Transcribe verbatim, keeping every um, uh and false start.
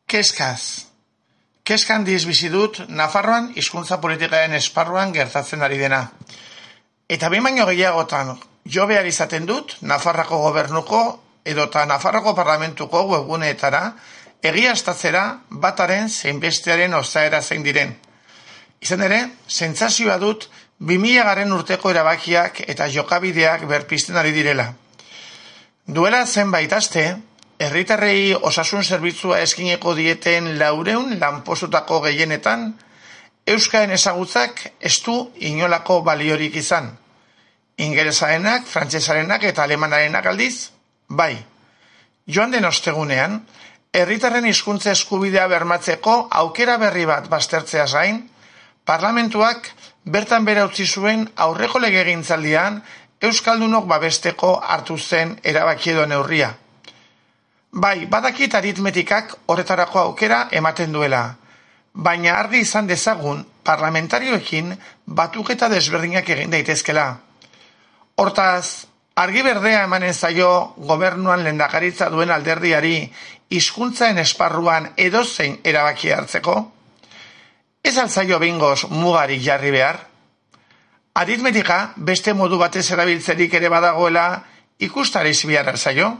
Keskaz. Keskan diz bizi dut Nafarroan hizkuntza politikaren esparruan gertatzen ari dena. Eta behin baino gehiagotan jo behar izaten dut Nafarrako gobernuko edota Nafarroko parlamentuko webguneetara egiaztatzera bataren zein bestearen osaera zein diren. Izan ere, sentsazioa dut bi mila garren urteko erabakiak eta jokabideak berpizten ari direla. Duela zenbait aste, herritarrei osasun zerbitzua eskineko dieten laureun lanpostutako gehienetan, euskaren ezagutzak ez du inolako baliorik izan. Ingelesarenak, frantsesarenak eta alemanarenak aldiz, bai. Joan den ostegunean, herritarren hizkuntza eskubidea bermatzeko aukera berri bat baztertzeaz gain, parlamentuak bertan bera utzi zuen aurreko legegintzaldian euskaldunok babesteko hartu zen erabaki edo neurria. Bai, badakit aritmetikak horretarako aukera ematen duela, baina argi izan dezagun parlamentarioekin batuketa desberdinak egin daitezkela. Hortaz, argi berdea emanen zaio gobernuan lehendakaritza duen alderdiari hizkuntzaren esparruan edozein erabaki hartzeko? Ez altzaio behingoz mugarik jarri behar? Aritmetika beste modu batez erabiltzerik ere badagoela ikustariz behar altzaio?